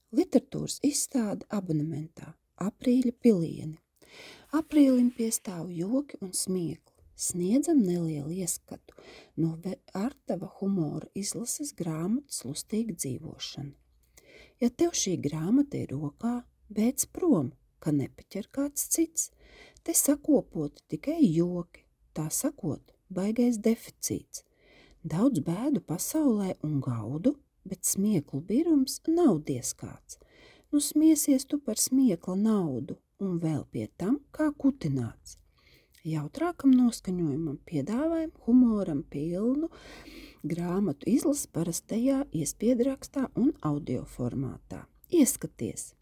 Literatūras izstāde abonementā Aprīļa pilieni. Aprīlim piestāv joki un smiekli. Sniedzam nelielu ieskatu no Artava humora izlases grāmatas Lustīga dzīvošana. Ja tev šī grāmata ir rokā, beidz prom, ka nepaķer kāds cits. Te sakopoti tikai joki, tā sakot, baigais deficīts. Daudz bēdu pasaulē un gaudu, bet smieklu birums nav diez kāds. Nu smiesies tu par smiekla naudu un vēl pie tam kā kutināts. Jautrākam noskaņojumam piedāvājam humoram pilnu grāmatu izlasi parastajā iespiedrakstā un audio formātā. Ieskaties!